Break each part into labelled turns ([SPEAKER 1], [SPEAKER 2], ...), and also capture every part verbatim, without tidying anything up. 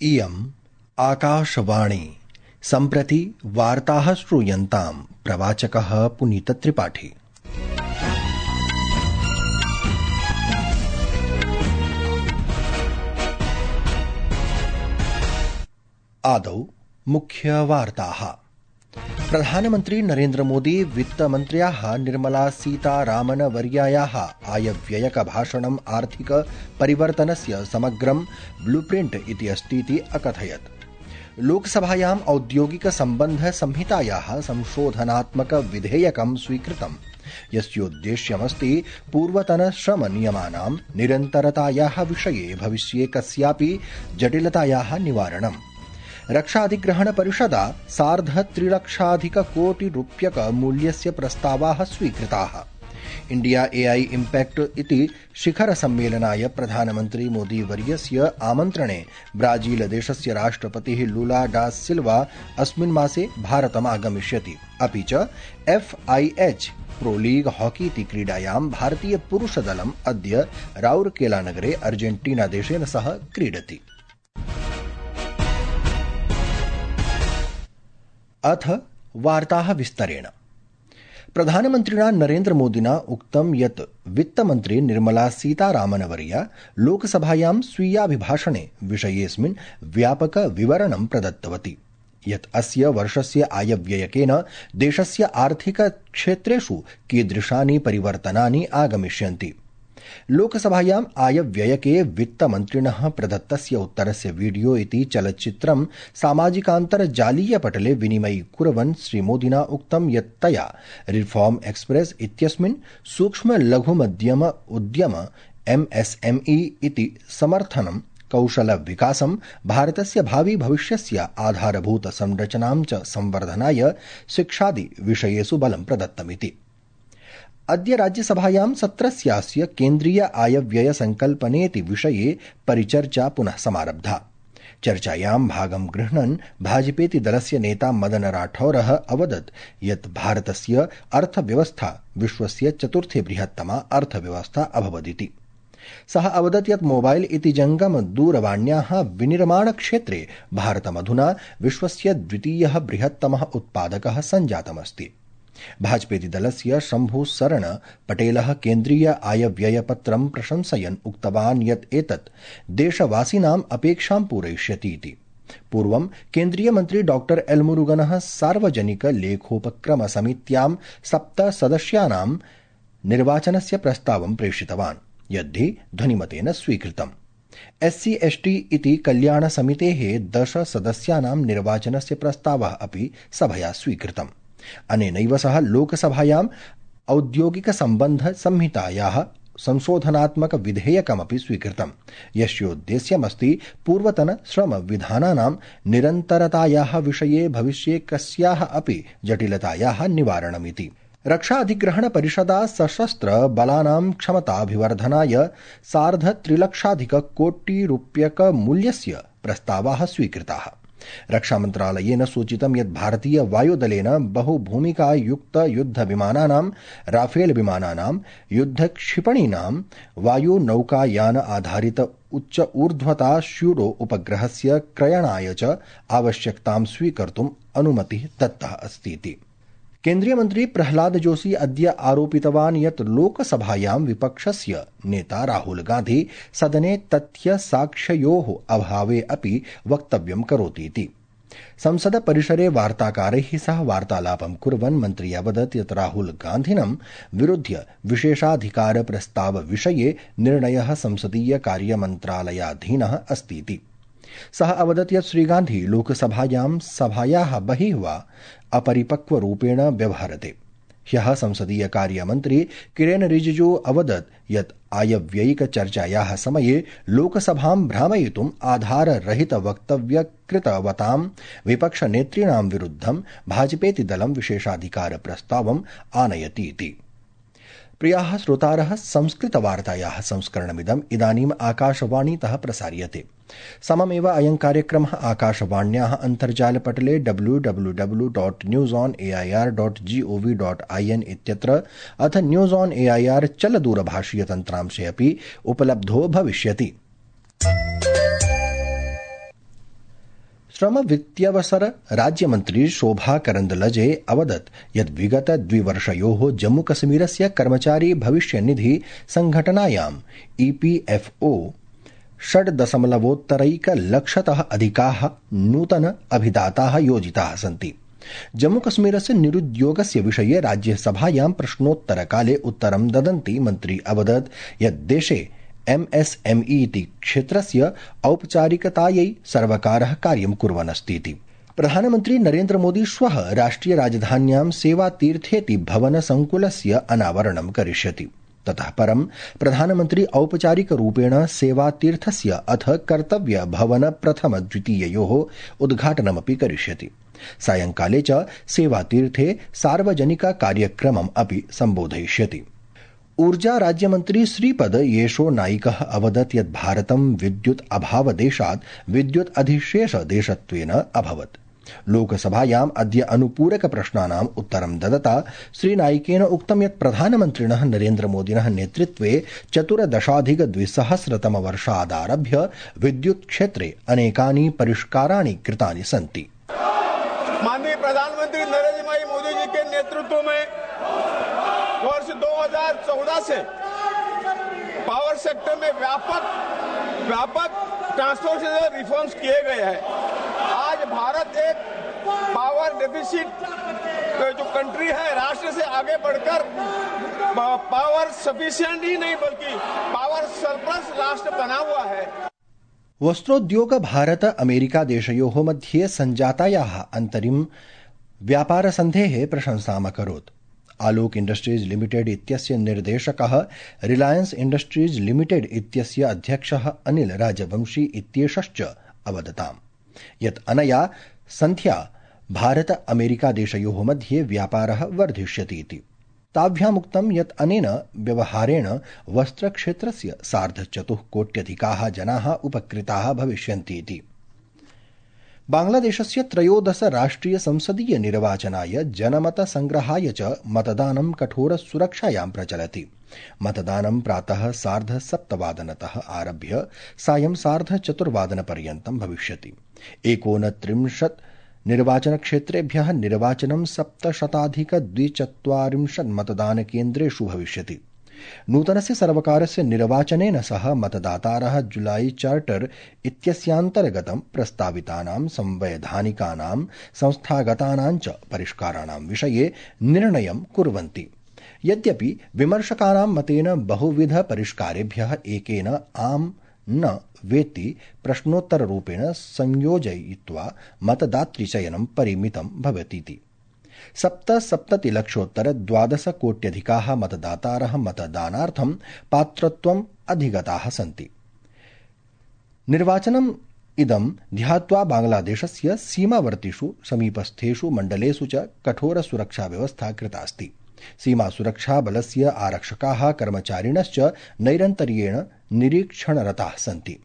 [SPEAKER 1] इयम् आकाशवाणी। सम्प्रति वार्ताः श्रूयन्ताम्। प्रवाचकः पुनीतत्रिपाठी। आदौ मुख्यवार्ताः। प्रधानमन्त्री नरेन्द्र मोदी वित्तमन्त्र्याः निर्मला सीतारामन वर्यायाः आयव्ययकभाषणम् आर्थिक परिवर्तनस्य समग्रं ब्लूप्रिंट इति अस्तीति अकथयत्। लोकसभायाम् औद्योगिक सम्बन्ध संहितायाः संशोधनात्मक विधेयकं स्वीकृतम्, यस्योद्देश्यमस्ति पूर्वतन श्रम नियमानां निरन्तरतायाः विषये भविष्ये कस्यापि जटिलतायाः निवारणम्। रक्षाधिग्रहण परिषदा सार्ध त्रिलक्षाधिक कोटि रूप्यक मूल्यस्य प्रस्तावाः स्वीकृताः। इंडिया एआई इम्पैक्ट इति शिखर सम्मेलनाय प्रधानमन्त्री मोदी वर्यस्य आमन्त्रणे ब्राजील देशस्य राष्ट्रपतिः लूला डा सिल्वा अस्मिन् मासे भारतम् आगमिष्यति। अपि च F I H pro league hockey इति क्रीडायां भारतीय पुरुषदलम् अद्य राउरकेला नगरे अर्जेंटीना देशेन सह क्रीडति। अथ वार्ताः विस्तरेण। प्रधानमन्त्रिणा नरेन्द्र मोदिना उक्तं यत् वित्तमन्त्री निर्मला सीतारामनवर्या लोकसभायां स्वीयाभिभाषणे विषयेऽस्मिन् व्यापक विवरणं प्रदत्तवती, यत् अस्य वर्षस्य आयव्ययकेन देशस्य आर्थिक क्षेत्रेषु कीदृशानि परिवर्तनानि आगमिष्यन्ति। लोकसभायाम् आयव्ययके वित्तमन्त्रिणः प्रदत्तस्य उत्तरस्य वीडियो इति चलच्चित्रं सामाजिकान्तर्जालीय पटले विनिमयीकुर्वन् श्रीमोदिना उक्तं यत् तया रिफॉर्म एक्सप्रेस इत्यस्मिन् सूक्ष्म लघु मध्यम उद्यम एम एस एम ई इति समर्थनं, कौशल विकासं, भारतस्य भावी भविष्यस्य आधारभूत संरचनां च संवर्धनाय शिक्षादि विषयेषु बलं प्रदत्तमिति। अद्य राज्यसभायां सत्रस्यास्य केन्द्रीय आयव्यय संकल्पनेति विषये परिचर्चा पुनः समारब्धा। चर्चायां भागं गृह्णन् भाजपेति दलस्य नेता मदन राठौरः अवदत् यत् भारतस्य अर्थव्यवस्था विश्वस्य चतुर्थी बृहत्तमा अर्थव्यवस्था अभवदिति। सः अवदत् यत् मोबाइल इति जंगम दूरवाण्याः विनिर्माण क्षेत्रे भारतमधुना विश्वस्य द्वितीयः बृहत्तमः उत्पादकः सञ्जातमस्ति। भाजपेति दलस्य शम्भु शरण पटेलः केन्द्रीय आयव्ययपत्रं प्रशंसयन् उक्तवान् यत् एतत् देशवासिनाम् अपेक्षां पूरयिष्यति इति। पूर्वं केन्द्रीय मन्त्री डॉक्टर एल मुरुगनः सार्वजनिक लेखोपक्रम समित्यां सप्त सदस्यानां निर्वाचनस्य प्रस्तावं प्रेषितवान्, यद्धि ध्वनिमतेन स्वीकृतम्। एससी एसटी इति कल्याण समितेः दश सदस्यानां निर्वाचनस्य प्रस्तावः अपि सभया स्वीकृतम्। अनेनैव सह लोकसभायाम् औद्योगिक सम्बन्ध संहितायाः संशोधनात्मक विधेयकमपि स्वीकृतम्, यस्योद्देश्यमस्ति पूर्वतन श्रम विधानानां निरन्तरतायाः विषये भविष्ये कस्याः अपि जटिलतायाः निवारणमिति। रक्षा अधिग्रहण परिषदा सशस्त्र बलानां क्षमताभिवर्धनाय सार्ध त्रिलक्षाधिक कोटि रूप्यक मूल्यस्य प्रस्तावाः स्वीकृताः। रक्षामन्त्रालयेन सूचितं यत् भारतीय वायुदलेन बहुभूमिका युक्त युद्ध विमानानां, राफेल विमानानां, युद्ध क्षिपणीनां, वायुनौकायान आधारित उच्च ऊर्ध्वता श्यूडो उपग्रहस्य क्रयणाय च आवश्यकतां स्वीकर्तुम् अनुमतिः दत्तः अस्तीति। केन्द्रीय मन्त्री प्रह्लाद जोशी अद्य आरोपितवान् यत् लोकसभायां विपक्षस्य नेता राहुल गान्धी सदने तथ्य साक्ष्ययोः अभावे अपि वक्तव्यं करोति इति। संसद परिसरे वार्ताकारैः सह वार्तालापं कुर्वन् मन्त्री अवदत् यत् राहुल गान्धिनं विरुध्य विशेषाधिकार प्रस्ताव विषये निर्णयः संसदीय कार्यमन्त्रालयाधीनः अस्तीति। सः अवदत् यत् श्रीगान्धी लोकसभायां सभायाः बहिः वा अपरिपक्वरूपेण व्यवहरते। ह्यः संसदीय कार्यमन्त्री किरेन रिजिजू अवदत् यत् आयव्ययिक चर्चायाः समये लोकसभां भ्रामयितुम् आधाररहित वक्तव्य कृतवतां विपक्षनेतॄणां विरुद्धं भाजपेति दलं विशेषाधिकार प्रस्तावम् आनयति इति। प्रियाः श्रोतारः, संस्कृतवार्तायाः संस्करणमिदम् इदानीम् आकाशवाणीतः प्रसार्यते। सममेव अयं कार्यक्रमः आकाशवाण्याः अन्तर्जालपटले W W W dot news on A I R dot G O V dot I N इत्यत्र अथ news on A I R चलदूरभाषीय तन्त्रांशे अपि उपलब्धो भविष्यति। श्रम वित्त्यवसर राज्यमन्त्री शोभा करन्दलजे अवदत् यत् विगत द्विवर्षयोः जम्मूकश्मीरस्य कर्मचारी भविष्यनिधि संघटनायाम् ईपीएफओ षड् दशमलवोत्तरैकलक्षतः अधिकाः नूतन अभिदाताः योजिताः सन्ति। जम्मूकश्मीरस्य निरुद्योगस्य विषये राज्यसभायां प्रश्नोत्तरकाले उत्तरं ददन्ती मन्त्री अवदत् यत् देशे एमएसएमई इति क्षेत्रस्य औपचारिकतायै सर्वकारः कार्यं कुर्वन् अस्तीति। प्रधानमन्त्री नरेन्द्र मोदी श्वः राष्ट्रिय राजधान्यां सेवातीर्थेति भवन संकुलस्य अनावरणं करिष्यति। ततः परं प्रधानमन्त्री औपचारिकरूपेण सेवातीर्थस्य अथ कर्तव्य भवन प्रथम द्वितीययोः उद्घाटनमपि करिष्यति। सायंकाले च सेवातीर्थे सार्वजनिक कार्यक्रमम् अपि सम्बोधयिष्यति। ऊर्जा राज्यमन्त्री श्रीपद येशो नाइकः अवदत् यत् भारतं विद्युत् अभावदेशात् विद्युत् अधिशेष देशत्वेन अभवत्। लोकसभायाम् अद्य अनुपूरक प्रश्नानाम् उत्तरं ददता श्रीनाइकेन उक्तं यत् प्रधानमन्त्रिणः नरेन्द्र मोदिनः नेतृत्वे चतुर्दशाधिक द्विसहस्रतमवर्षादारभ्य विद्युत् क्षेत्रे अनेकानि परिष्काराणि कृतानि सन्ति।
[SPEAKER 2] माननीय प्रधानमंत्री नरेंद्र भाई मोदी जी के नेतृत्व में वर्ष दो हज़ार चौदह से पावर सेक्टर में व्यापक व्यापक ट्रांसफॉर्मेशन रिफॉर्म्स किए गए हैं। आज भारत एक पावर डेफिसिट जो कंट्री है, राष्ट्र से आगे बढ़कर पावर सफिशिएंट ही नहीं बल्कि पावर सरप्लस राष्ट्र बना हुआ है।
[SPEAKER 1] वस्त्रोद्योग भारत अमेरिका देशयोः मध्ये सञ्जातायाः अन्तरिम व्यापारसन्धेः प्रशंसाम् अकरोत्। आलोक इण्डस्ट्रीज लिमिटेड इत्यस्य निर्देशकः रिलायंस इण्डस्ट्रीज लिमिटेड इत्यस्य अध्यक्षः अनिल राजवंशी इत्येषश्च अवदताम् यत् अनया सन्ध्या भारत अमेरिका देशयोः मध्ये व्यापारः वर्धिष्यति इति। ताभ्यामुक्तं यत् अनेन व्यवहारेण वस्त्रक्षेत्रस्य सार्धचतुःकोट्यधिकाः जनाः उपकृताः भविष्यन्ति इति। बांग्लादेशस्य त्रयोदश राष्ट्रिय संसदीय निर्वाचनाय जनमत संग्रहाय च मतदानं कठोर सुरक्षायां प्रचलति। मतदानं प्रातः सार्ध सप्तवादनतः आरभ्य सायं सार्ध चतुर्वादनपर्यन्तं भविष्यति। एकोनत्रिंशत् निर्वाचनक्षेत्रेभ्यः निर्वाचनं सप्तशताधिक द्विचत्वारिंशत् मतदानकेन्द्रेषु भविष्यति। नूतनस्य सर्वकारस्य निर्वाचनेन सह मतदातारः जुलाई चार्टर इत्यस्यान्तर्गतं प्रस्तावितानां संवैधानिकानां संस्थागतानां च परिष्काराणां विषये निर्णयं कुर्वन्ति। यद्यपि विमर्शकानां मतेन बहुविध परिष्कारेभ्यः एकेन आम न वेति प्रश्नोत्तररूपेण संयोजयित्वा मतदातृचयनं परिमितं भवतीति। सप्तसप्ततिलक्षोत्तर द्वादश कोट्यधिकाः मतदातारः मतदानार्थं पात्रत्वम् अधिगताः सन्ति। निर्वाचनम् इदं ध्यात्वा बांग्लादेशस्य सीमावर्तिषु समीपस्थेषु मण्डलेषु च कठोर सुरक्षा व्यवस्था कृता अस्ति। सीमा सुरक्षा बलस्य आरक्षकाः कर्मचारिणश्च नैरन्तर्येण निरीक्षणरताः सन्ति।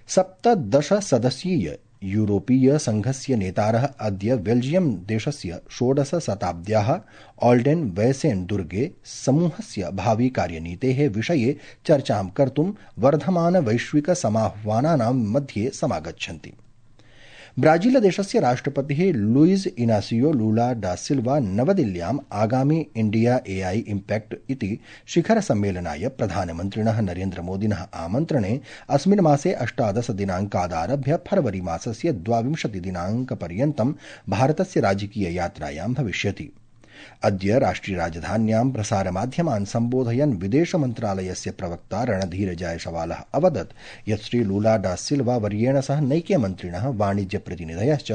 [SPEAKER 1] सप्तदश सदस्यीय यूरोपीय संघस्य नेतारः अद्य बेल्जियम देशस्य षोडश शताब्द्याः ऑल्डेन वैसेन दुर्गे समूहस्य भावी कार्यनीतेः विषये चर्चां कर्तुं वर्धमान वैश्विक समाह्वानानां मध्ये समागच्छन्ति। ब्राजील देशस्य राष्ट्रपतिः लुइज इनासियो लूला डा सिल्वा नवदिल्ल्याम् आगामी इंडिया एआई इम्पैक्ट इति शिखर सम्मेलनाय प्रधानमन्त्रिणः नरेन्द्र मोदिनः आमन्त्रणे अस्मिन् मासे अष्टादश दिनाङ्कादारभ्य फरवरी मासस्य द्वाविंशति दिनाङ्कपर्यन्तं भारतस्य राजकीय यात्रायां भविष्यति। अद्य राष्ट्रिय राजधान्यां प्रसारमाध्यमान् सम्बोधयन् विदेश मन्त्रालयस्य प्रवक्ता रणधीर जयसवालः अवदत् यत् श्री लूला डा सिल्वा वर्येण सह नैके मन्त्रिणः वाणिज्य प्रतिनिधयश्च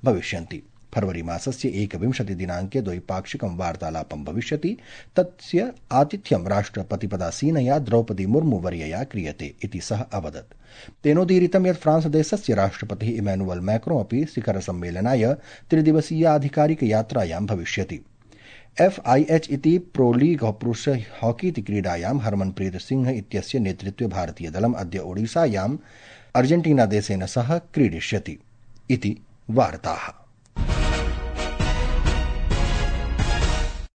[SPEAKER 1] भविष्यन्ति। फरवरी मासस्य एकविंशति दिनाङ्के द्वैपाक्षिकं वार्तालापं भविष्यति। तस्य आतिथ्यं राष्ट्रपतिपदासीनया द्रौपदी मुर्मू वर्यया क्रियते इति सः अवदत्। तेनोदीरितं यत् फ्रांस देशस्य राष्ट्रपतिः इमैनुअल मैक्रोन् अपि शिखर सम्मेलनाय त्रिदिवसीयाधिकारिक यात्रायां भविष्यति। एफ आई एच इति प्रो लीग पुरुष हॉकी इति क्रीडायां हरमनप्रीत सिंह इत्यस्य नेतृत्वे भारतीयदलम् अद्य ओडिसायाम् अर्जेंटीना देशेन सह क्रीडिष्यति इति वार्ताः।